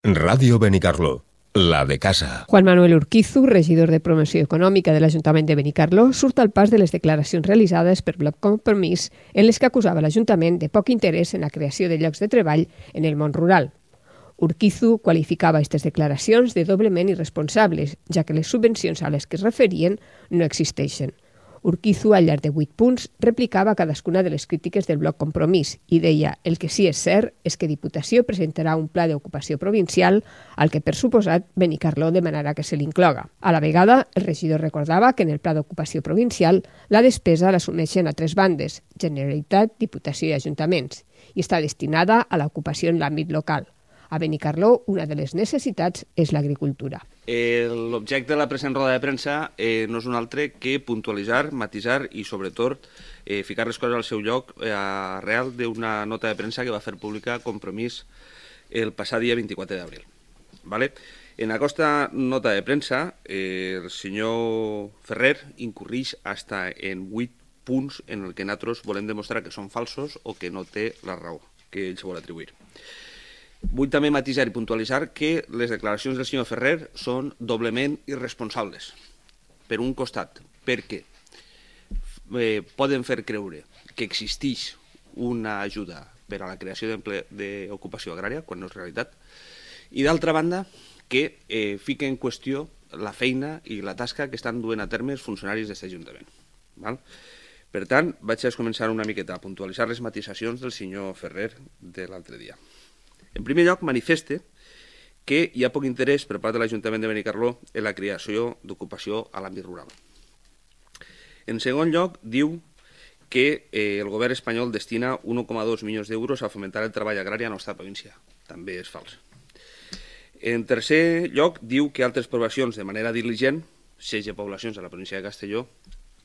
Ràdio Benicarló, la de casa. Juan Manuel Urquizu, regidor de Promoció Econòmica de l'Ajuntament de Benicarló, surt al pas de les declaracions realitzades per Bloc Compromís en les que acusava l'Ajuntament de poc interès en la creació de llocs de treball en el món rural. Urquizu qualificava aquestes declaracions de doblement irresponsables, ja que les subvencions a les que es referien no existeixen. Urquizu, al llarg de 8 punts, replicava cadascuna de les crítiques del Bloc Compromís i deia: el que sí és cert és que Diputació presentarà un pla d'ocupació provincial al que, per suposat, Benicarló demanarà que se l'incloga. A la vegada, el regidor recordava que en el pla d'ocupació provincial la despesa l'assumeixen a 3 bandes: Generalitat, Diputació i Ajuntaments, i està destinada a l'ocupació en l'àmbit local. A Benicarló, una de les necessitats és l'agricultura. L'objecte de la present roda de premsa no és un altre que puntualitzar, matisar i, sobretot, ficar les coses al seu lloc arrel d'una nota de premsa que va fer pública Compromís el passat dia 24 d'abril. En aquesta nota de premsa, el senyor Ferrer incorreix fins en 8 punts en el que nosaltres volem demostrar que són falsos o que no té la raó que ell se vol atribuir. Vull també matisar i puntualitzar que les declaracions del senyor Ferrer són doblement irresponsables. Per un costat, perquè poden fer creure que existeix una ajuda per a la creació d'ocupació agrària, quan no és realitat, i d'altra banda, que fica en qüestió la feina i la tasca que estan duent a terme els funcionaris d'aquest Ajuntament. Per tant, vaig a començar una miqueta a puntualitzar les matisacions del senyor Ferrer de l'altre dia. En primer lloc, manifeste que hi ha poc interès per part de l'Ajuntament de Benicarló en la creació d'ocupació a l'àmbit rural. En segon lloc, diu que el govern espanyol destina 1,2 milions d'euros a fomentar el treball agrari a la nostra província. També és fals. En tercer lloc, diu que altres poblacions de manera diligent, 16 poblacions a la província de Castelló,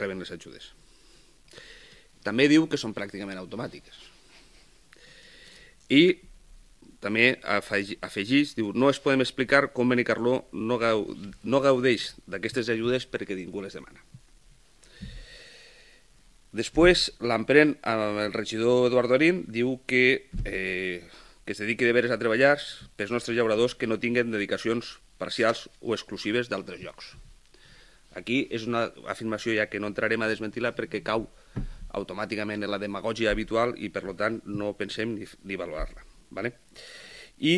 reben les ajudes. També diu que són pràcticament automàtiques. I també afegeix, diu, no es podem explicar com Benicarló no gaudeix d'aquestes ajudes perquè ningú les demana. Després, l'emprèn el regidor Eduardo Arín, diu que es dediqui de veres a treballar pels nostres llauradors que no tinguen dedicacions parcials o exclusives d'altres llocs. Aquí és una afirmació ja que no entrarem a desmentir-la perquè cau automàticament en la demagògia habitual i, per tant, no pensem ni valorar-la. I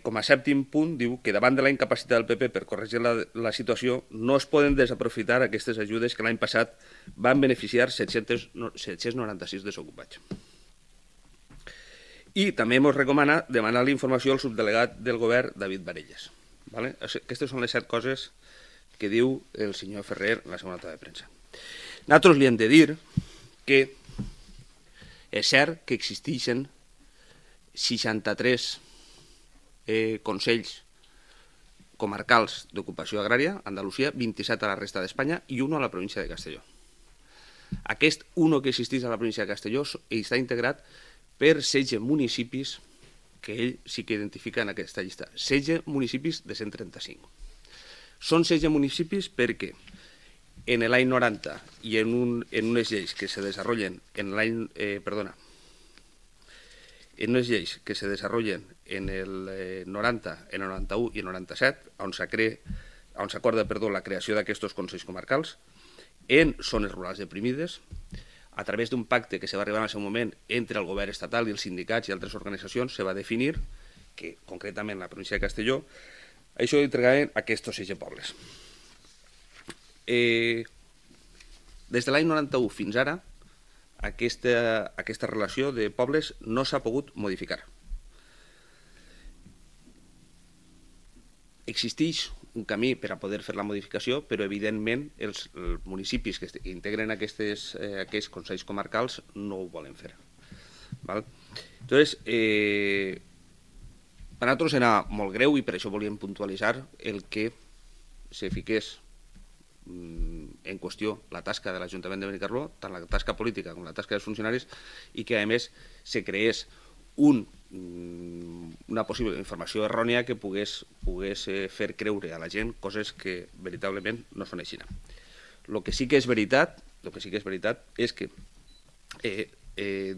com a sèptim punt diu que davant de la incapacitat del PP per corregir la situació no es poden desaprofitar aquestes ajudes que l'any passat van beneficiar 796 desocupats. I també ens recomana demanar l'informació al subdelegat del govern, David Varelles. Aquestes són les 7 coses que diu el senyor Ferrer en la segona nota de premsa. Nosaltres li hem de dir que és cert que existeixen 63 consells comarcals d'ocupació agrària a Andalusia, 27 a la resta d'Espanya i 1 a la província de Castelló. Aquest 1 que existeix a la província de Castelló està integrat per 16 municipis que ell sí que identifica en aquesta llista. 16 municipis de 135. Són 16 municipis perquè en l'any 90 i en unes lleis que se desenvolupen en l'any... en unes lleis que se desenvolupen en el 90, en el 91 i el 97, on s'acorda la creació d'aquests consells comarcals, en zones rurals deprimides, a través d'un pacte que se va arribar en el seu moment entre el govern estatal i els sindicats i altres organitzacions, se va definir que, concretament, la província de Castelló, això entregaven aquests 16 pobles. Des de l'any 91 fins ara, aquesta relació de pobles no s'ha pogut modificar. Existeix un camí per a poder fer la modificació, però evidentment els municipis que integren aquests consells comarcals no ho volen fer. Llavors, per a nosaltres era molt greu i per això volíem puntualitzar el que se fiqués en qüestió la tasca de l'Ajuntament de Benicarló, tant la tasca política com la tasca dels funcionaris, i que a més se creés una possible informació errònia que pogués fer creure a la gent coses que veritablement no són així. El que sí que és veritat és que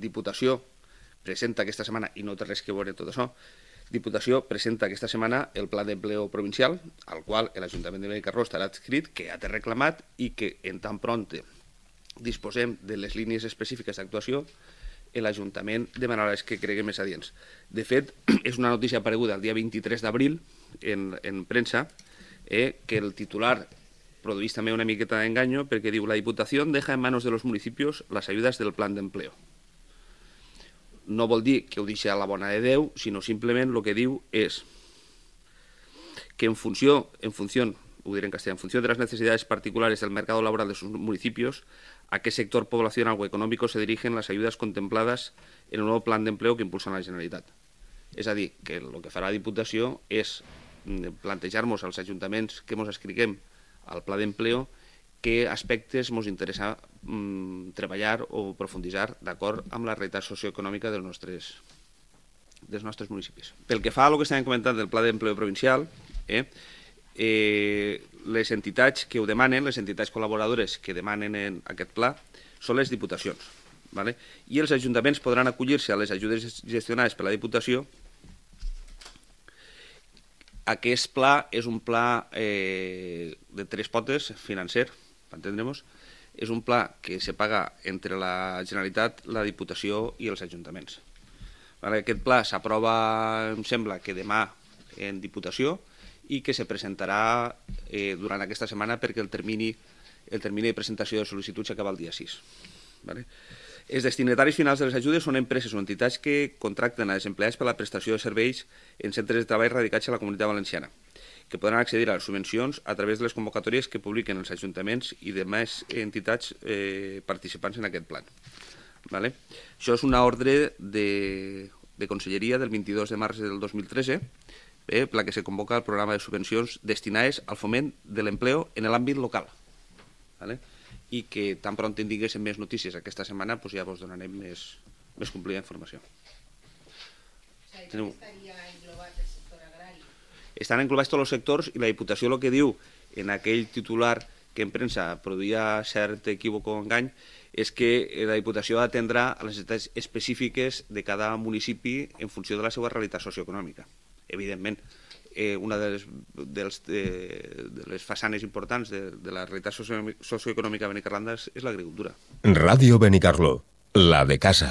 Diputació presenta aquesta setmana, i no té res que veure tot això, Diputació presenta aquesta setmana el Pla d'Empleo Provincial, al qual l'Ajuntament de Benicarló estarà adscrit, que ja té reclamat i que en tan pront disposem de les línies específiques d'actuació, l'Ajuntament demanarà les que cregui més adients. De fet, és una notícia apareguda el dia 23 d'abril en premsa, que el titular produeix també una miqueta d'enganyo perquè diu: la Diputación deja en manos de los municipios las ayudas del plan d'empleo. No vol dir que ho deixi a la bona de Déu, sinó simplement el que diu és que en función, ho diré en castellà, en función de las necesidades particulares del mercado laboral de sus municipios, a qué sector poblacional o económico se dirigen las ayudas contempladas en el nuevo plan d'empleo que impulsa la Generalitat. És a dir, que el que farà la Diputació és plantejar-nos als ajuntaments que ens escriguem al pla d'empleo què aspectes ens interessa treballar o profunditzar d'acord amb la realitat socioeconòmica dels nostres municipis. Pel que fa a lo que estàvem comentant del Pla d'Empleo Provincial, les entitats que ho demanen, les entitats col·laboradores que demanen aquest pla, són les diputacions. I els ajuntaments podran acollir-se a les ajudes gestionades per la Diputació. Aquest pla és un pla de tres potes financer, per entendre'ns. És un pla que se paga entre la Generalitat, la Diputació i els ajuntaments. Aquest pla s'aprova, em sembla, que demà en Diputació i que se presentarà durant aquesta setmana perquè el termini de presentació de sol·licituds s'acaba el dia 6. Els destinataris finals de les ajudes són empreses o entitats que contracten a desempleats per la prestació de serveis en centres de treball radicats a la Comunitat Valenciana, que podran accedir a les subvencions a través de les convocatòries que publiquen els ajuntaments i demés entitats participants en aquest pla. Això és una ordre de Conselleria del 22 de març del 2013, per la que se convoca el programa de subvencions destinades al foment de l'empleo en l'àmbit local. I que tan pront tinguéssim més notícies aquesta setmana, ja vos donarem més complida informació. Estan englobats tots els sectors i la Diputació el que diu en aquell titular que en premsa produïa cert equívoc o engany és que la Diputació atendrà a les necessitats específiques de cada municipi en funció de la seva realitat socioeconòmica. Evidentment, una de les façanes importants de la realitat socioeconòmica benicarlanda és l'agricultura. Radio Benicarló, la de casa.